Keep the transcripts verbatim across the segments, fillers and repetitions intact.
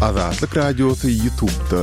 Azatlyk Radiosy YouTube'da.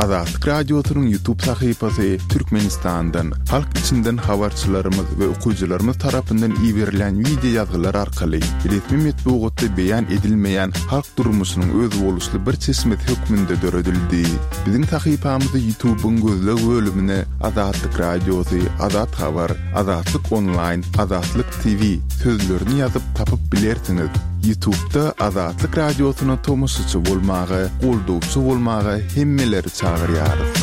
Azatlyk Radiosynyň YouTube sahypasy Türkmenistandan, halk içinden habarçylarymyz we okyjylarymyz tarapyndan iberilen wideo ýazgylar arkaly resmi metbugatda beýan edilmeýän halk durmuşynyň özboluşly bir çeşmesi hökmünde döredildi. Biziň sahypamyzy YouTube'yň gözleg bölümine Azatlyk Radiosy, Azat Habar, Azatlyk Online, Azatlyk T V sözlerini ýazyp tapyp bilersiňiz. YouTube'da Azatlyk Radiosyna tomaşaçy bolmaga, goldawçy bolmaga hemmeleri çagyrýarys.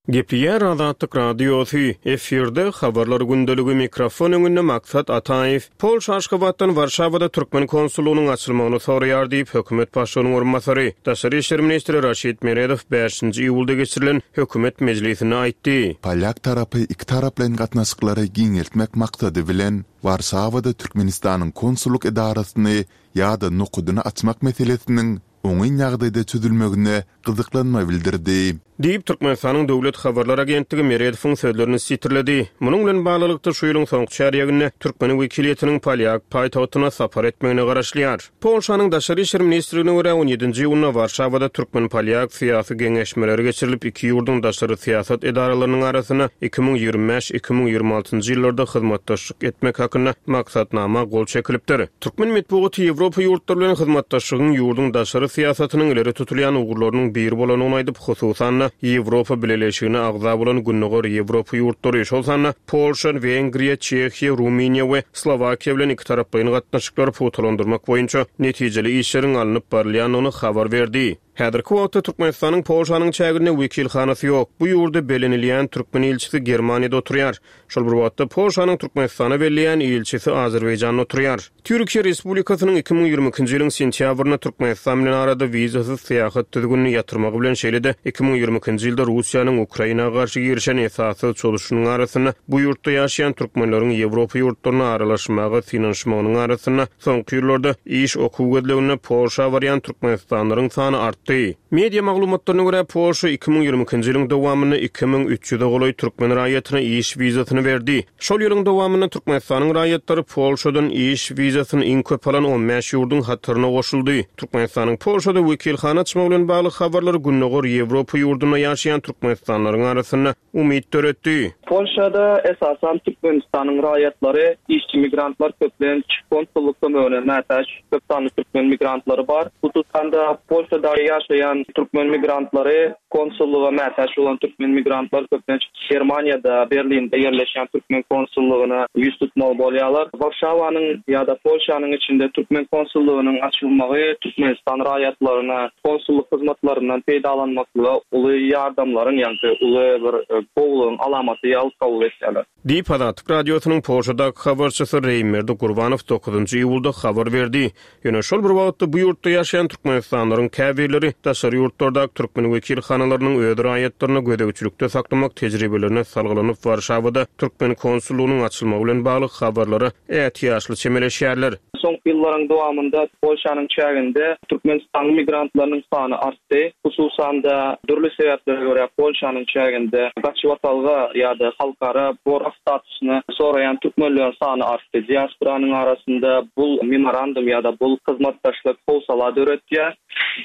Gepleýär Azatlyk Radiosy, efirde habarlar gündeligi, mikrofon öňünde Maksat Ataýew. Polşa Aşgabatdan Warşawada türkmen konsullygynyň açylmagyny soraýar diýip, hökümet başlygynyň orunbasary, daşary işler ministri Raşid Meredow bäşinji iýulda geçirilen hökümet mejlisinde aýtdy. Polýak tarapy iki taraplaýyn gatnaşyklary giňeltmek maksady bilen Warşawada Türkmenistanyň konsullyk edarasyny ýa-da nokadyny açmak meselesiniň oňyn ýagdaýda çözülmegine gyzyklanma bildirdi. Diýip, Türkmenistanyň Döwlet habarlar agentligi Meredowyň sözlerini sitirledi. Munuň bilen baglylykda, şu ýylyň soňky çärýeginde türkmen wekiliýetiniň polýak paýtagtyna sapar etmegine garaşylýar. Polşanyň Daşary işler ministrligine görä, on ýedinji iýunda Warşawada türkmen-polýak syýasy geňeşmeleri geçirilip, iki ýurduň daşary syýasat edaralarynyň arasynda iki müň ýigrimi bäş iki müň ýigrimi altynjy ýyllarda hyzmatdaşlyk etmek hakynda maksatnama gol çekilipdir. Türkmen metbugaty Ýewropa ýurtlary bilen hyzmatdaşlygyň ýurduň daşary syýasatynyň ileri tutulýan ugurlarynyň biri bolandygyny aýdyp, hususan-da Ýewropa Bileleşigine agza bolan Gündogar Ýewropa ýurtlary, şol sanda Polşa, Wengriýa, Çehiýa, Rumyniýa we Slowakiýa bilen ikitaraplaýyn gatnaşyklary pugtalandyrmak boýunça netijeli işleriň alnyp barylýandygyny habar berdi. Häzirki wagtda Türkmenistanyň Polşanyň çäginde wekilhanasy ýok. Bu ýurda bellenilýän türkmen ilçisi Germaniýada oturýar. Şol bir wagtda Polşanyň Türkmenistana belleýän ilçisi Azerbaýjanda oturýar. Türkiýe Respublikasynyň iki müň ýigrimi ikinji ýylyň sentýabrynda Türkmenistan bilen arada wizasyz syýahat düzgünini ýatyrmagy bilen, şeýle-de iki müň ýigrimi ikinji ýylda Russiýanyň Ukraina garşy girişen esassyz çozuşynyň arasynda bu ýurtda ýaşaýan türkmenleriň Ýewropa ýurtlaryna aralaşmaga synanyşmagynyň arasynda soňky ýyllarda iş okuw gözleginde Polşa barýan türkmenistanlylaryň sany artdy. Media maglumatlaryna görä, Polşa iki müň ýigrimi ikinji ýylyň dowamynda iki müň üç ýüze golaý türkmen raýatyna iş wizasyny berdi. Şol ýylyň dowamynda Türkmenistanyň raýatlary Polşadan iş wizasyny iň köp alan on bäş ýurduň hataryna goşuldy. Türkmenistanyň Polşada wekilhana açmagy bilen bagly habarlar Gündogar Ýewropa ýurdunda ýaşaýan türkmenistanlylaryň arasynda umyt döretdi. Polşada esasan Türkmenistanyň raýatlary, işçi migrantlar köplenç konsullyk kömegine mätäç, köp sanly türkmen migrantlary bar. Hususan-da Polşada ýaşaýan türkmen migrantlary, konsullyga mätäç bolan türkmen migrantlar köplenç Germaniýada, Berlinde ýerleşýän türkmen konsullygyna ýüz tutmaly bolýarlar. Warşawanyň ýa-da Polşanyň içinde türkmen konsullygynyň açylmagy Türkmenistan raýatlaryna konsullyk hyzmatlaryndan peýdalanmaklyga uly ýardamlaryň, ýagny uly bir gowulygyň alamaty ýaly kabul etýärler. Diýip, Azatlyk Radiosynyň Polşadaky habarçysy Reýimberdi Gurbanow dokuzynjy iýulda habar berdi. Ýöne şol bir wagtda bu ýurtda ýaşaýan türkmenistanlylaryň käbirleri daşary ýurtlardaky türkmen wekilhanalarynyň öz raýatlaryny gözegçilikde saklamak tejribelerine salgylanyp, Warşawada türkmen konsullygynyň açylmagy bilen bagly habarlara ätiýaçly çemeleşýärler. Soňky ýyllaryň dowamynda Polşanyň çäginde Türkmenistanyň migrantlarynyň sany artdy. Hususan-da dürli sebäplere görä Polşanyň çäginde gaçybatalga ýa-da halkara gorag statusyny soraýan türkmenleriň sany artdy. Diasporanyň arasynda bu memorandum ýa-da bu hyzmatdaşlyk howsala döretýär,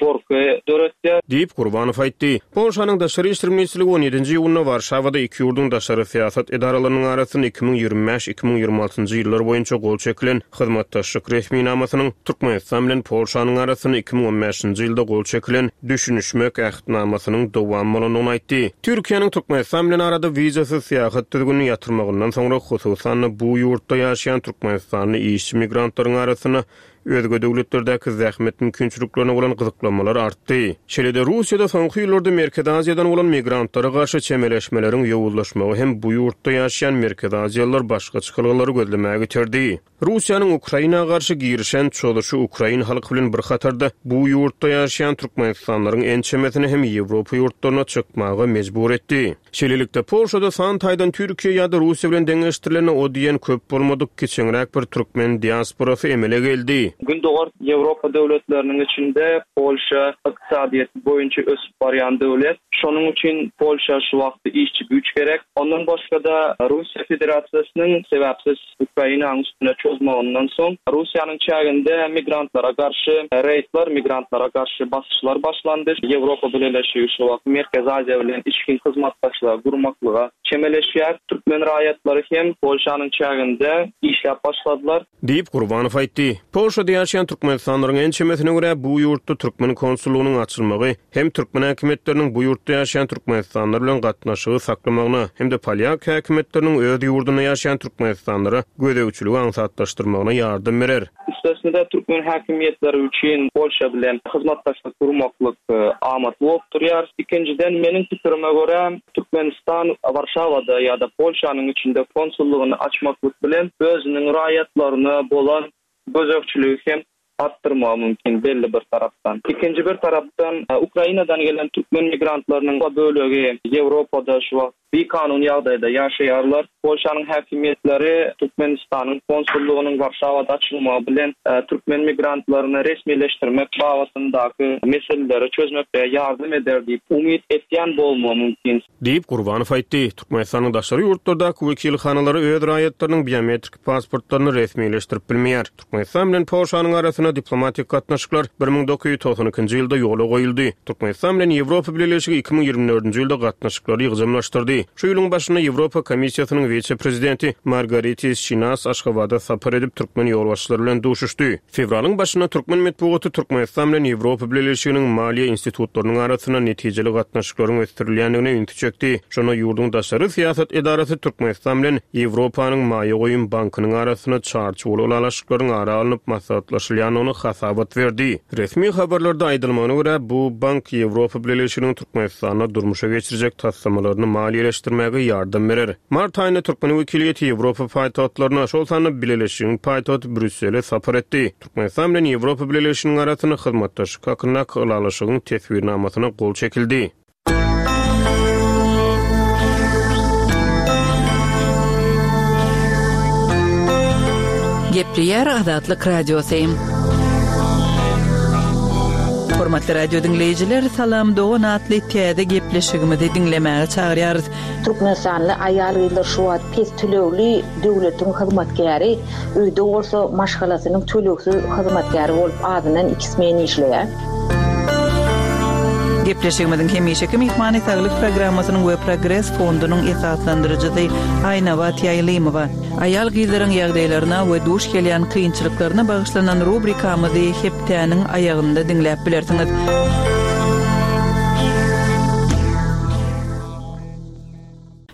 gorky döretýär. Diýip, Gurbanow aýtdy. Polşanyň Daşary işler ministrligi on ýedinji iýunda Warşawada iki ýurduň daşary syýasat edaralarynyň arasynda iki müň ýigrimi bäş iki müň ýigrimi altynjy ýyllar boýunça gol çekilen hyzmatdaşlyk resminamasynyň Türkmenistan bilen Polşanyň arasynda iki müň on bäşinji ýylda gol çekilen düşünişmek ähtnamasynyň dowamy bolandygyny aýtdy. Türkiýäniň Türkmenistan bilen arada wizasyz syýahat düzgünini ýatyrmagyndan soňra hususan-da bu ýurtda ýaşaýan türkmenistanly işçi migrantlaryň arasynda özge döwletlerdäki zähmet mümkinçiliklerine bolan gyzyklanmalar artdy. Şeýle-de Russiýada soňky ýyllarda Merkezi Aziýadan bolan migrantlara garşy çemeleşmeleriň ýowuzlaşmagy hem bu ýurtda ýaşaýan Merkezi Aziýalylar başga çykalgalary gözlemäge iterdi. Russiýanyň Ukraina garşy girişen çozuşy ukrain halky bilen bir hatarda bu ýurtda ýaşaýan türkmenistanlylaryň ençemesini hem Ýewropa ýurtlaryna çykmaga mejbur etdi. Şeýlelikde, Polşada san taýdan Türkiýe ýa-da Russiýa bilen deňeşdirilende o diýen köp bolmadyk kiçeňräk bir türkmen diasporasy emele geldi. Gündogar Ýewropa döwletleriniň içinde Polşa ykdysadyýeti boýunça ösüp barýan döwlet. Şonuň üçin Polşa şu wagtda işçi güýç gerek. Ondan başga-da Russiýa Federasiýasynyň sebäpsiz Ukrainanyň üstüne çozmagyndan soň Russiýanyň çäginde migrantlara garşy reýdler, migrantlara garşy basyşlar başlandy. Ýewropa Bileleşigi şu wagt Merkezi Aziýa bilen içgin hyzmatdaşlygy gurmaklyga çemeleşýär. Türkmen raýatlary hem Polşanyň çäginde işläp başladylar. Diýip, Gurbanow aýtdy. Polşada ýaşaýan türkmenistanlylaryň ençemesine görä, bu ýurtda türkmen konsullygynyň açylmagy hem türkmen häkimiýetleriniň bu ýurtda ýaşaýan türkmenistanlylar bilen gatnaşygy saklamagyna hem-de polýak häkimiýetleriniň öz ýurdunda ýaşaýan türkmenistanlylara gözegçiligi aňsatlaşdyrmagyna ýardam berer. Üstesine-de türkmen häkimiýetleri üçin Polşa bilen hyzmatdaşlyk gurmaklyk amatly bolup durýar. Ikinjiden, meniň pikirime görä, Türkmenistan Warşawada ýa-da Polşanyň içinde konsullygyny açmaklyk bilen özüniň raýatlaryna bolan gözegçiligi hem artdyrmagy mümkin belli bir tarapdan. Ikinji bir tarapdan, Ukrainadan gelen türkmen migrantlarynyň bölegi Ýewropada şu wagt bikanun ýagdaýda ýaşaýarlar. Polşanyň häkimiýetleri Türkmenistanyň konsullygynyň Warşawada açylmagy bilen türkmen migrantlaryny resmileşdirmek babatyndaky meseleleri çözmekde ýardam eder diýip umyt etýän bolmagy mümkin. Diýip, Gurbanow aýtdy. Türkmenistanyň daşary ýurtlardaky wekilhanalary öz raýatlarynyň biometrik pasportlaryny resmileşdirip bilmeýär. Türkmenistan bilen Polşanyň arasynda diplomatik gatnaşyklar bir müň dokuz ýüz togsan ikinji ýylda ýola goýuldy. Türkmenistan bilen Ýewropa Bileleşigi iki müň ýigrimi dördünji ýylda gatnaşyklary ýygjamlaşdyrdy. Şu ýylyň başynda Ýewropa Komissiýasynyň wise-prezidenti Margaritis Şinas Aşgabada sapar edip, türkmen ýolbaşçylary bilen duşuşdy. Fewralyň başynda türkmen metbugaty Türkmenistan bilen Ýewropa Bileleşiginiň maliýe institutlarynyň arasynda netijeli gatnaşyklaryň ösdürilýändigine ünsi çekdi. Şonda ýurduň daşary syýasat edarasy Türkmenistan bilen Ýewropanyň maýa goýum bankynyň arasynda çarçuwaly ylalaşyklaryň ara alnyp maslahatlaşylýandygyny hasabat berdi. Resmi habarlarda aýdylmagyna görä, bu bank Ýewropa Bileleşiginiň Türkmenistanda durmuşa geçirjek taslamalaryny maliýeleşdirmäge ýardam berer. Mart aýynda türkmen wekiliýeti Ýewropa paýtagtlaryna, şol sanda Bileleşigiň paýtagty Brýussele sapar etdi. Türkmenistan bilen Ýewropa Bileleşiginiň arasynda hyzmatdaşlyk hakyndaky ylalaşygyň teswirnamasyna gol çekildi. Gepleýär Azatlyk Radiosy. Hormatly radio diňleýjiler, Salam Dogan atly täze gepleşigimizi diňlemäge çagyrýarys. Türkmenistanly aýal-gyzlar şu wagt pes tölegli döwletiň hyzmatkäri, öýde bolsa maşgalasynyň tölegsiz hyzmatkäri bolup azyndan iki smen işleýär. Gepleşigimiziň hemişeki myhmany Saglyk programmasynyň we Progres fondunyň esaslandyryjysy Aýnabat Ýaýlymowa. Aýal-gyzlaryň ýagdaýlaryna we duş gelýän kynçylyklaryna bagyşlanan rubrikamyzy hepdäniň aýagynda diňläp bilersiňiz.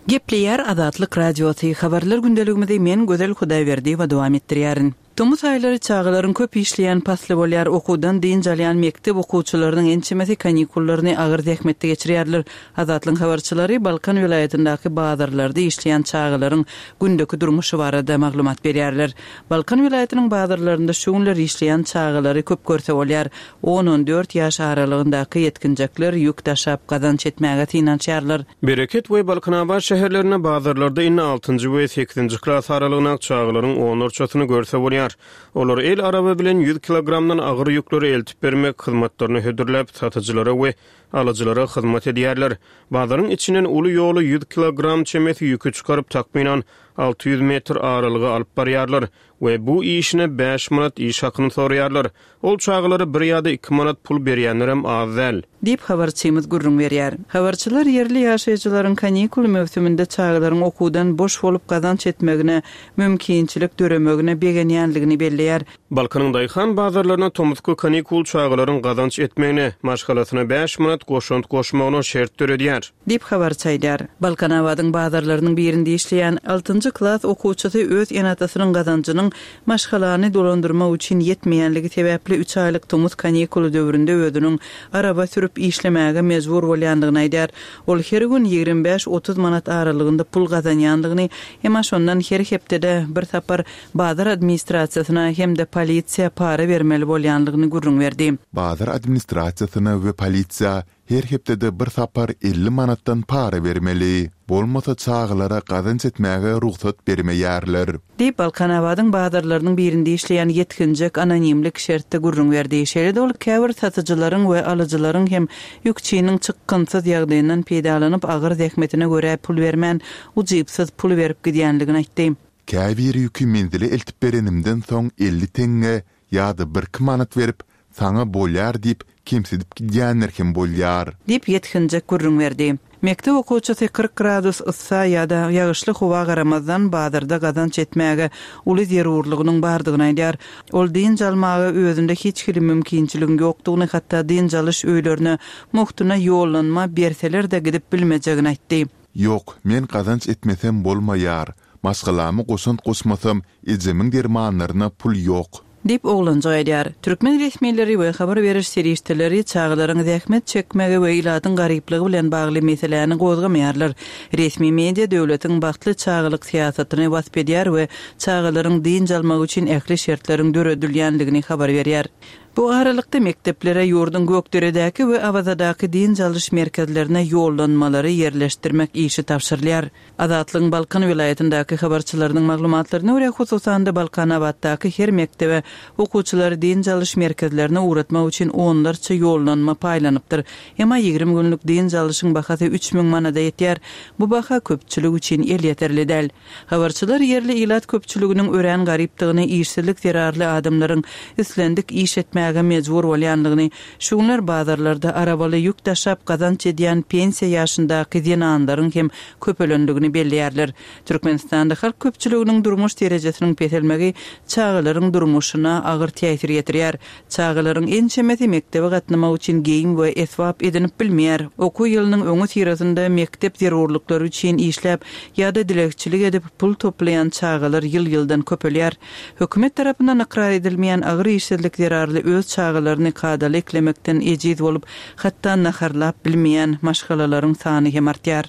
Gepleýär Azatlyk Radiosy. Habarlar gündeligimizi men Gözel Hudaýberdiýewa dowam etdirýärin. Tomus aýlary çagalaryň köp işleýän pasly bolýar. Okuwdan dynç alýan mekdep okuwçylarynyň ençemesi kanikullaryny agyr zähmetde geçirýärler. Azatlyk habarçylary Balkan welaýatyndaky bazarlarda işleýän çagalaryň gündeki durmuşy barada maglumat berýärler. Balkan welaýatynyň bazarlarynda şu günler işleýän çagalary köp görse bolýar. On-on dört ýaş aralygyndaky ýetginjekler ýük daşap gazanç etmäge synanyşýarlar. Bereket we Balkanabat şäherlerinde bazarlarda indi altynjy we sekizinji klas aralygyndaky çagalaryň onlarçasyny görse bolýar. Olar el araba bilen ýüz kilogramdan agyr ýükleri eltip bermek hyzmatlaryny hödürläp satyjylara we alyjylara hyzmat edýärler. Bazaryň içinden uly ýoly ýüz kilogram çemesi ýükü çykaryp takmynan alty ýüz metr aralyga alyp barýarlar we bu işine bäş manat iş hakyny soraýarlar. Ol çagalara bir ýa-da iki manat pul berýänlerem az däl. Diýip habarçymyz gürrüň berýär. Habarçylar ýerli ýaşaýjylaryň kanikul möwsüminde çagalaryň okuwdan boş bolup gazanç etmegine, mümkinçilik döremegine begenýänligini belleýär. Balkanyň daýhan bazarlaryna tomusky kanikul çagalaryň gazanç etmegine, maşgalasyna bäş manat goşant goşmagyna şert döredýär. Diýip habarçy aýdýar. Balkanabadyň bazarlarynyň birinde işleýän altynjy klas okuwçysy öz ene-atasynyň gazanjynyň maşgalany dolandyrmak üçin ýetmeýänligi sebäpli üç aýlyk tomus kanikuly döwründe özüniň araba sürüp işlemäge mejbur bolýandygyny aýdýar. Ol her gün ýigrimi bäş otuz manat aralygynda pul gazanýandygyny, emma şondan her hepdede bir sapar bazar administrasiýasyna hem-de polisiýa para bermeli bolýandygyny gürrüň berdi. Bazar administrasiýasyna we polisiýa Her hepdede bir sapar elli manatdan para bermeli. Bolmasa çagalara gazanç etmäge rugsat bermeýärler. Diýip, Balkanabadyň bazarlarynyň birinde işleýän ýetginjek anonimlik şertde gürrüň berdi. Şeýle-de ol käbir satyjylaryň we alyjylaryň hem ýükçiniň çykgynsyz ýagdaýyndan peýdalanyp, agyr zähmetine görä pul bermän, ujypsyz pul berip gidýändigini aýtdy. Käbir ýüki menzile eltip berenimden soň elli teňňe ýa-da birki manat berip, saňa bolýar diýip, kemsidip gidýänler hem bolýar. Diýip, ýetginjek gürrüň berdi. Mekdep okuwçysy kyrk gradus yssa ýa-da ýagyşly howa garamazdan bazarda gazanç etmäge uly zerurlygynyň bardygyny aýdýar. Ol dynç almaga özünde hiç hili mümkinçiligiň ýokdugyny, hatda dynç alyş öýlerine mugtuna ýollanma berseler-de gidip bilmejegini aýtdy. Ýok, men gazanç etmesem bolmaýar. Maşgalama goşant goşmasam, ejemiň dermanlaryna pul ýok. Diýip, oglanjyk aýdýar. Türkmen resmileri we habar beriş serişdeleri çagalaryň zähmet çekmegi we ilatyň garyplygy bilen bagly meseläni gozgamaýarlar. Resmi media döwletiň bagtly çagalyk syýasatyny wasp edýär we çagalaryň dynç almagy üçin ähli şertleriň döredilýändigini habar berýär. Bu aralykda mekdeplere ýurduň Gökderedäki we Awazadaky dynç alyş merkezlerine ýollanmalary ýerleşdirmek işi tabşyrylýar. Azatlygyň Balkan welaýatyndaky habarçylarynyň maglumatlaryna görä, hususan-da Balkanabatdaky her mekdebe okuwçylary dynç alyş merkezlerine ugratmak üçin onlarça ýollanma paýlanypdyr. Emma ýigrimi günlük dynç alyşyň bahasy üç müň manada ýetýär. Bu baha köpçülik üçin elýeterli däl. Habarçylar ýerli ilat köpçüliginiň örän garypdygyny, işsizlik zerarly adamlaryň islendik iş etmäge mejbur bolýanlygyny, şu günler bazarlarda arabaly ýük daşap gazanç edýän pensiýa ýaşyndaky zenanlaryň hem köpelendigini belleýärler. Türkmenistanda halk köpçüliginiň durmuş derejesiniň peselmegi çagalaryň durmuşyna agyr täsir ýetirýär. Çagalaryň ençemesi mekdebe gatnamak üçin geýim we esbap edinip bilmeýär. Okuw ýylynyň öňüsyrasynda mekdep zerurlyklary üçin işläp ýa-da dilegçilik edip pul toplaýan çagalar ýyl-ýyldan köpelýär. Hökümet tarapyndan ykrar edilmeýän agyr işsizlik zerarly öz çagalaryny kadaly eklemekden ejiz bolup, hatda naharlap bilmeýän maşgalalaryň sany hem artýar.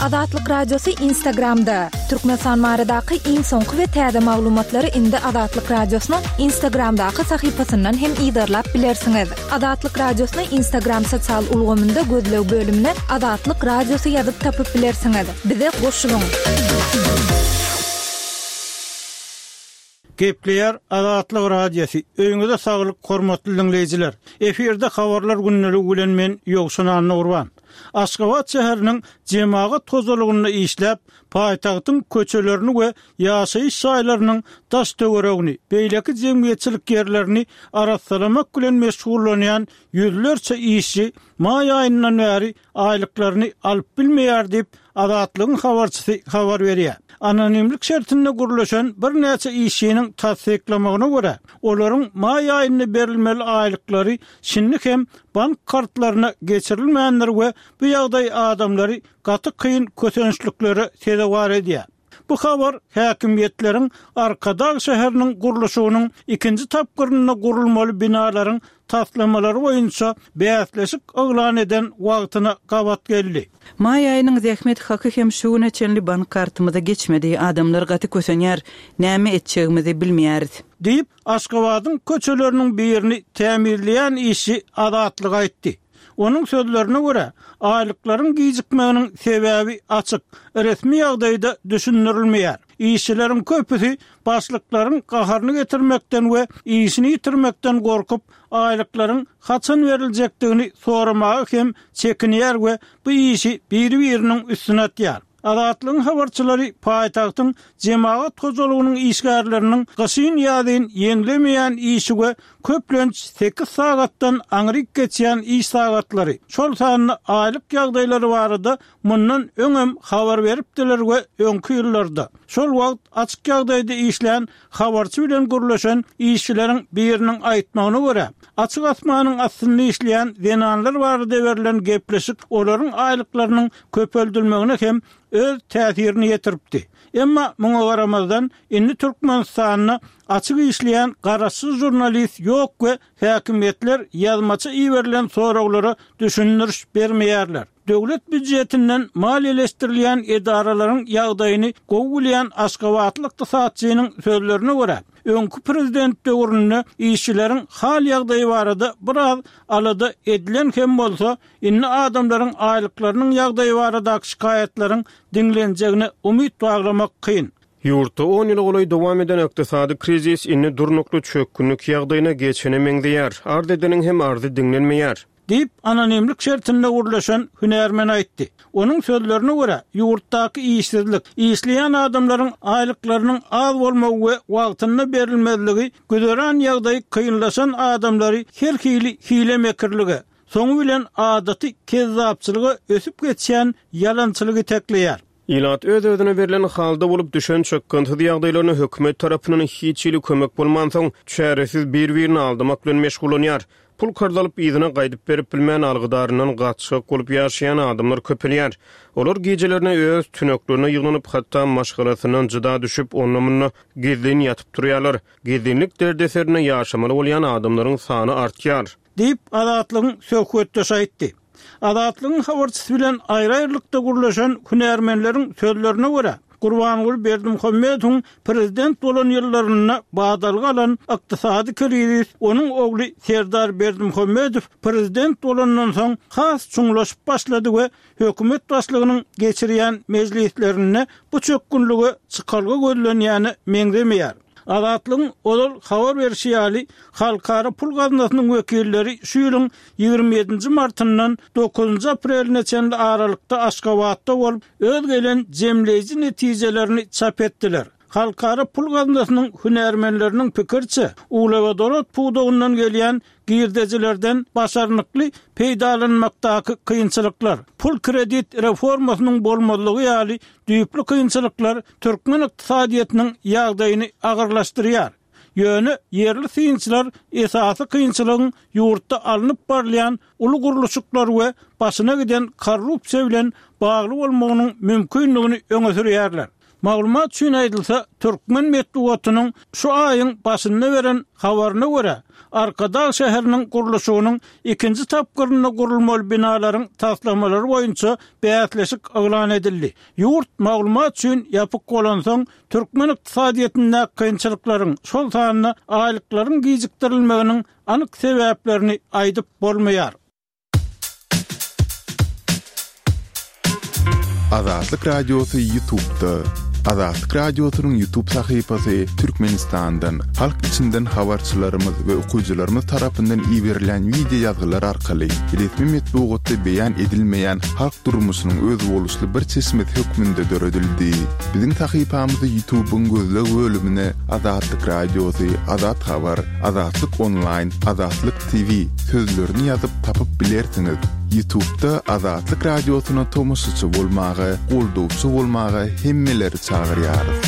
Azatlyk Radiosy Instagramda. Türkmenistan baradaky iň soňky we täze maglumatlary indi Azatlyk Radiosynyň Instagramdaky sahypasyndan hem yzarlap bilersiňiz. Azatlyk Radiosyny Instagram sosial ulgamynda gözleg bölümine Azatlyk Radiosy ýazyp tapyp bilersiňiz. Bize goşulyň. Gepleýär Azatlyk Radiosy. Öýüňize saglyk, hormatly diňleýjiler. Efirde habarlar gündeligi bilen men Ýowşan Annagurban. Aşgabat şäheriniň jemagat hojalygynda işläp, paýtagtyň köçelerini we ýaşaýyş jaýlarynyň daş-töweregini, beýleki jemgyýetçilik ýerlerini arassalamak bilen meşgullanýan ýüzlerçe işçi maý aýyndan bäri aýlyklaryny alyp bilmeýär diýip, Azatlygyň habarçysy habar berýär. Anonimlik şertinde gürleşen birnäçe işçiniň tassyklamagyna görä, olaryň maý aýynda berilmeli aýlyklary şindi hem bank kartlaryna geçirilmändir we bu ýagdaý adamlary gaty kyn kösençliklere sezewar edýär. Bu habar häkimiýetleriň Arkadag şäheriniň gurluşygynyň ikinji tapgyrynda gurulmaly binalaryň taslamalary boýunça bäsleşik yglan eden wagtyna gabat geldi. Maý aýynyň zähmet haky hem şu güne çenli bank kartymyza geçmedi. Adamlar gaty kösenýär. Näme etjegimizi bilmeýäris. Diýip, Aşgabadyň köçeleriniň birini tämizleýän işçi Azatlyga aýtdy. Onuň sözlerine görä, aýlyklaryň gijikmeginiň sebäbi açyk, resmi ýagdaýda düşündirilmeýär. Işçileriň köpüsi başlyklaryň gaharyny getirmekden we işini ýitirmekden gorkup, aýlyklaryň haçan beriljekdigini soramaga hem çekinýär we bu işi biri-biriniň üstüne atýar. Azatlygyň habarçylary paýtagtyň jemagat hojalygynyň işgärleriniň gyşyn-ýazyn ýeňlemeýän işi we köplenç sekiz sagatdan aňryk geçýän iş sagatlary, şol sanda aýlyk ýagdaýlary barada mundan öňem habar beripdiler we öňki ýyllarda şol wagt açyk ýagdaýda işlän habarçy bilen gürleşen işçileriň biriniň aýtmagyna görä, açyk asmanyň astynda işleýän zenanlar barada berlen gepleşik olaryň aýlyklarynyň köpeldilmegine hem öz täsirini ýetiripdi. Emma muňa garamazdan, indi Türkmenistanda açyk işleýän garaşsyz žurnalist ýok we häkimiýetler ýazmaça iberilen soraglara düşündiriş bermeýärler. Döwlet býujetinden maliýeleşdirilýän edaralaryň ýagdaýyny gowy bilýän aşgabatly ykdysatçynyň sözlerine görä, öňki prezident döwründe işçileriň hal-ýagdaýy barada biraz alada edilen hem bolsa, indi adamlaryň aýlyklarynyň ýagdaýy baradaky şikaýatlaryň diňlenjegine umyt baglamak kyn. Ýurtda on ýyla golaý dowam eden ykdysady krizis indi durnukly çökgünlik ýagdaýyna geçene meňzeýär. Arz edeniň hem arzy diňlenmeýär. Diýip, anonimlik şertinde gürleşen hünärmen aýtdy. Onuň sözlerine görä, ýurtdaky işsizlik, işleýän adamlaryň aýlyklarynyň az bolmagy we wagtynda berilmezligi güzeran ýagdaýy kynlaşan adamlary her hili hile-mekirlige, soňy bilen adaty kezzapçylyga ösüp geçýän ýalançylygy itekleýär. Ilat öz-özüne berlen halda bolup düşen çykgynsyz ýagdaýlaryna hökümet tarapyndan hiç hili kömek bolmansoň, çäresiz bir-birini aldamak bilen meşgullanýar. Pul karz alyp yzyna gaýdyp berip bilmän algydaryndan gaçgak bolup ýaşaýan adamlar köpelýär. Olar gijelerine öz tüneklerine ýygnanyp, hatda maşgalasyndan jyda düşüp, onda-munda gizlin ýatyp turýarlar. Gizlinlik derdeserinde ýaşamaly bolýan adamlaryň sany artýar. Diýip, Azatlygyň söhbetdeşi aýtdy. Azatlygyň habarçysy bilen aýry-aýrylykda gürleşen hünärmenleriň sözlerine görä, Gurbanguly Berdimuhamedowyň prezident bolan ýyllarynda badalga alan ykdysady krizis onuň ogly Serdar Berdimuhamedow prezident bolandan soň has çuňlaşyp başlady we hökümet başlygynyň geçirýän mejlislerinde bu çökgünlige çykalga gözlenýäne meňzemeýär. Azatlygyň ozal habar berşi ýaly, Halkara pul gaznasynyň wekilleri şu ýylyň ýigrimi ýedinji martyndan dokuzynjy apreline çenli aralykda Aşgabatda bolup, öz gelen jemleýji netijelerini çap etdiler. Halkara pul gaznasynyň hünärmenleriniň pikiriçe, uglewodorod pudagyndan gelýän girdejilerden başarnykly peýdalanmakdaky kynçylyklar, pul-kredit reformasynyň bolmazlygy ýaly düýpli kynçylyklar türkmen ykdysadyýetiniň ýagdaýyny agyrlaşdyrýar. Ýöne ýerli synçylar esasy kynçylygyň ýurtda alnyp barylýan uly gurluşyklar we başyna giden korrupsiýa bilen bagly bolmagynyň mümkindigini öňe sürýärler. Maglumat üçin aýdylsa, türkmen metbugatynyň şu aýyň başynda beren habaryna görä, Arkadag şäheriniň gurluşygynyň ikinji tapgyrynda gurulmaly binalaryň taslamalary boýunça bäsleşik yglan edildi. Ýurt maglumat üçin ýapyk bolansoň, türkmen ykdysadyýetindäki kynçylyklaryň, şol sanda aýlyklaryň gijikdirilmeginiň anyk sebäplerini aýdyp bolmaýar. Azatlyk Radiosy YouTube'da. Azatlyk Radiosynyň YouTube sahypasy Türkmenistandan, halk içinden habarçylarymyz we okyjylarymyz tarapyndan iberilýän wideo ýazgylar arkaly resmi metbugatda beýan edilmeýän halk durmuşynyň özboluşly bir çeşmesi hökmünde döredildi. Biziň sahypamyzy YouTube'yň gözleg bölümine Azatlyk Radiosy, Azat Habar, Azatlyk Onlaýn, Azatlyk T V sözlerini ýazyp tapyp bilersiňiz. YouTube'da Azatlyk Radiosyna tomaşaçy bolmaga, goldawçy bolmaga hemmeleri çagyrýarys.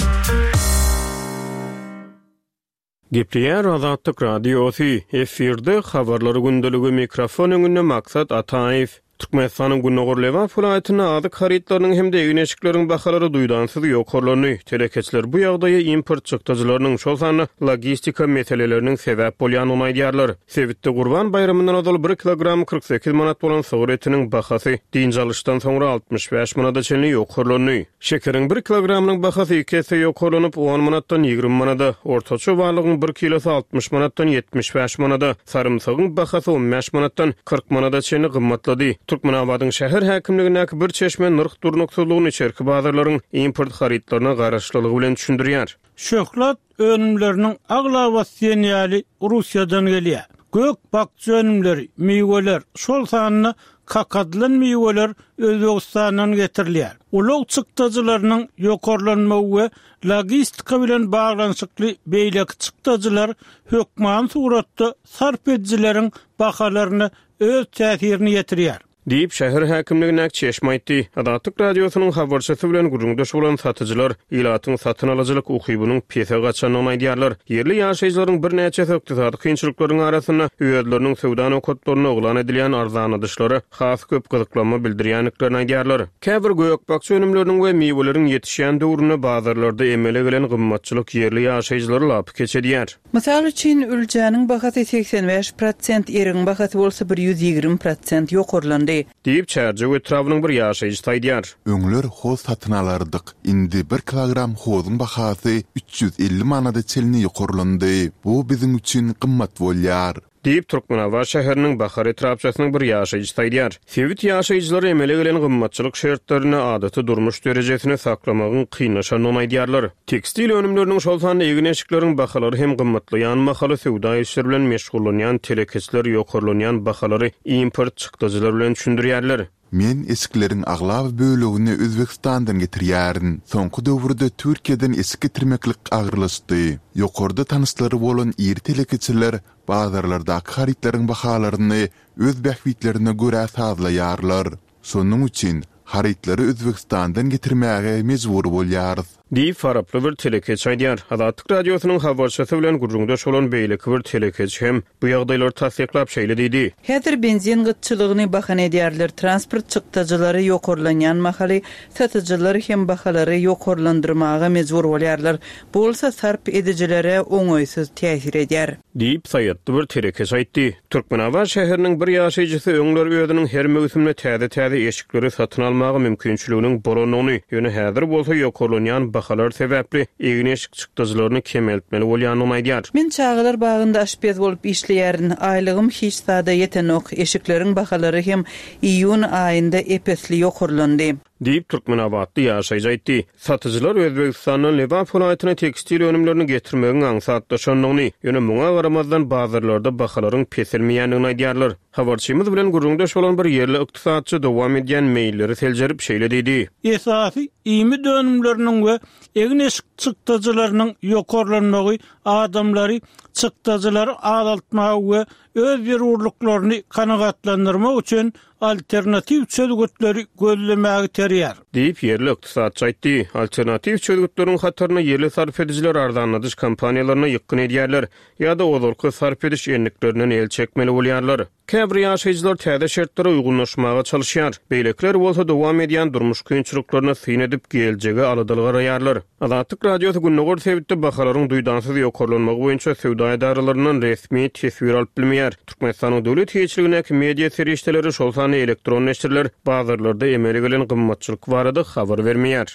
Gepleýär Azatlyk Radiosy, efirde habarlar gündeligi, mikrofon öňünde Maksat Ataýew. Türkmenistanyň Gündogar Lebap welaýatynda azyk harytlarynyň hem-de egin-eşikleriň bahalary duýdansyz ýokarlandy. Telekeçiler bu ýagdaýa import çykdajylarynyň, şol sanda logistika meseleleriniň sebäp bolýandygyny aýdýarlar. Sebitde Gurban baýramyndan ozal bir kilogram kyrk sekiz manat bolan sygyr etiniň bahasy dynç alyşdan soňra altmyş bäş manada çenli ýokarlandy. Şekeriň bir kilogramynyň bahasy iki esse ýokarlanyp, on manatdan ýigrimi manada, ortaça balygyň bir kilosy altmyş manatdan ýetmiş bäş manada, sarymsagyň bahasy on bäş manatdan kyrk manada çenli gymmatlady. Türkmenabadyň şäher häkimligindäki bir çeşme nyrh durnuksyzlygyny içerki bazarlaryň import harytlaryna garaşlylygy bilen düşündirýär. Şöhlat önümleriniň aglabasy diýen ýaly Russiýadan gelýär. Gök bakja önümleri, miweler, şol sanda kakadylan miweler Özbegistandan getirilýär. Ulag çykdajylarynyň ýokarlanmagy we logistika bilen baglanyşykly beýleki çykdajylar hökmany suratda sarp edijileriň bahalaryna öz täsirini ýetirýär. Diýip, şäher häkimligindäki çeşme aýtdy. Azatlyk Radiosynyň habarçysy bilen gürrüňdeş bolan satyjylar ilatyň satyn alyjylyk ukybynyň pese gaçandygyny aýdýarlar. Ýerli ýaşaýjylaryň birnäçesi ykdysady kynçylyklaryň arasynda özleriniň söwda nokatlarynda yglan edilýän arzanladyşlara has köp gyzyklanma bildirýändiklerini aýdýarlar. Käbir gök-bakja önümleriniň we miweleriň ýetişýän döwründe bazarlarda emele gelen gymmatçylyk ýerli ýaşaýjylary lapykeç edýär. Mysal üçin, üljäniň bahasy seksen bäş prosent, erigiň bahasy bolsa bir ýüz ýigrimi prosent ýokarlandy. ýokarlandy. Diýip, Çärjew etrabynyň bir ýaşaýjysy aýdýar. Öňler hoz satyn alardyk. Indi bir kilogram hozuň bahasy üç ýüz elli manada çenli ýokarlandy. Bu biziň üçin gymmat bolýar. Diýip, Türkmenabat şäheriniň Bahar etrapçasynyň bir ýaşaýjysy aýdýar. Sebit ýaşaýjylary emele gelen gymmatçylyk şertlerinde adaty durmuş derejesini saklamagyň kynlaşandygyny aýdýarlar. Tekstil önümleriniň, şol sanda egin-eşikleriň bahalary hem gymmatlaýan mahaly söwda işleri bilen meşgullanýan telekeçiler ýokarlanýan bahalary import çykdajylary bilen düşündirýärler. Men eşikleriň aglaba bölegini Özbegistandan getirýärin. Soňky döwürde Türkiýeden eşik getirmeklik agyrlaşdy. Ýokarda tanyşlary bolan iri telekeçiler bazarlardaky harytlaryň bahalaryny öz bähbitlerine görä sazlaýarlar. Şonuň üçin harytlary Özbegistandan getirmäge mejbur bolýarys. Diýip, faraply bir telekeçi aýdýar. Azatlyk Radiosynyň habarçysy bilen gürrüňdeş bolan beýleki bir telekeçi hem bu ýagdaýlary tassyklap şeýle diýdi. Häzir benzin gytçylygyny bahana edýärler. Transport çykdajylary ýokarlanýan mahaly satyjylar hem bahalary ýokarlandyrmaga mejbur bolýarlar. Bu bolsa sarp edijilere oňaýsyz täsir edýär. Diýip, saýatly bir telekeçi aýtdy. Türkmenabat şäheriniň bir ýaşaýjysy öňler özüniň her möwsümde täze-täze eşikleri satyn almaga mümkinçiliginiň bolandygyny, ýöne häzir bolsa ýokarlanýan bahalar sebäpli egin-eşik çykdajylaryny kemeltmeli bolýandygyny aýdýar. Men çagalar bagynda aşpez bolup işleýärin. Aýlygym hiç zada ýetenok. Eşikleriň bahalary hem iýun aýynda epesli ýokarlandy. Diýip, Türkmenabatly ýaşaýjy aýtdy. Satyjylar Özbegistandan Lebap welaýatyna tekstil önümlerini getirmegiň aňsatlaşandygyny, ýöne muňa garamazdan bazarlarda bahalaryň peselmeýändigini aýdýarlar. Habarçymyz bilen gürrüňdeş bolan bir ýerli ykdysatçy dowam edýän meýilleri seljerip şeýle diýdi. Esasy iýmit önümleriniň we egin-eşik çykdajylarynyň ýokarlanmagy adamlary çykdajylary azaltmaga we öz zerurlyklaryny kanagatlandyrmak üçin alternatiw çözgütleri gözlemäge iterýär. Diýip, ýerli ykdysatçy aýtdy. Alternatiw çözgütleriň hataryna ýerli sarp edijiler arzanladyş kompaniýalaryna ýykgyn edýärler ýa-da ozalky sarp ediş endiklerinden el çekmeli bolýarlar. Käbir ýaşaýjylar täze şertlere uýgunlaşmaga çalışýar. Beýlekiler bolsa dowam edýän durmuş kynçylyklaryna syn edip geljege aladaly garaýarlar. Azatlyk Radiosy Gündogar sebitde bahalaryň duýdansyz ýokarlanmagy boýunça söwda edaralaryndan resmi teswir alyp bilmeýär. Türkmenistanyň döwlet eýeçiligindäki media serişdeleri, şol sanda elektron neşirler bazarlarda emele gelen gymmatçylyk barada habar bermeýär.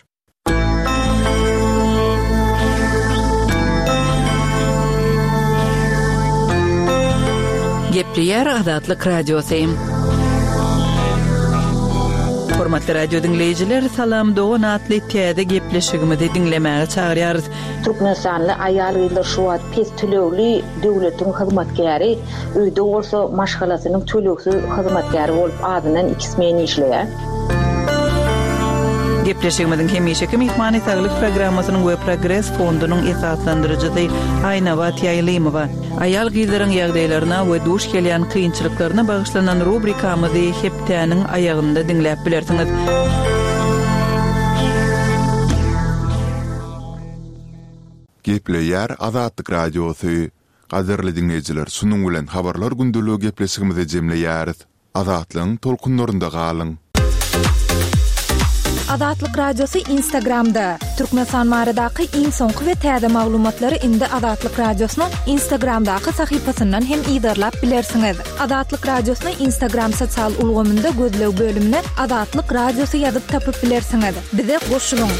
Gepleýär Azatlyk Radiosy. Hormatly radio diňleýjiler, Salam Dogan atly täze gepleşigimizi diňlemäge çagyrýarys. Türkmenistanly aýal-gyzlar şu wagt pes tölegli döwletiň hyzmatkäri, öýde bolsa maşgalasynyň tölegsiz hyzmatkäri bolup azyndan iki smen işleýär. Gepleşigimiziň hemişeki myhmany Saglyk programmasynyň we Progres fondunyň esaslandyryjysy Aýnabat Ýaýlymowa. Aýal gyzlaryň ýagdaýlaryna we duş gelýän kynçylyklaryna bagyşlanan rubrikamyzy hepdäniň aýagynda diňläp bilersiňiz. Gepleýär Azatlyk Radiosy. Gadyrly diňleýjiler, şunuň bilen habarlar gündeligi gepleşigimizi jemleýäris. Azatlygyň tolkunlarynda galyň. Azatlyk Radiosy Instagramda. Türkmenistan baradaky iň soňky we täze maglumatlary indi Azatlyk Radiosynyň Instagramdaky sahypasyndan hem yzarlap bilersiňiz. Azatlyk Radiosyny Instagram sosial ulgamynda gözleg bölümine Azatlyk Radiosy ýazyp tapyp bilersiňiz. Bize goşulyň.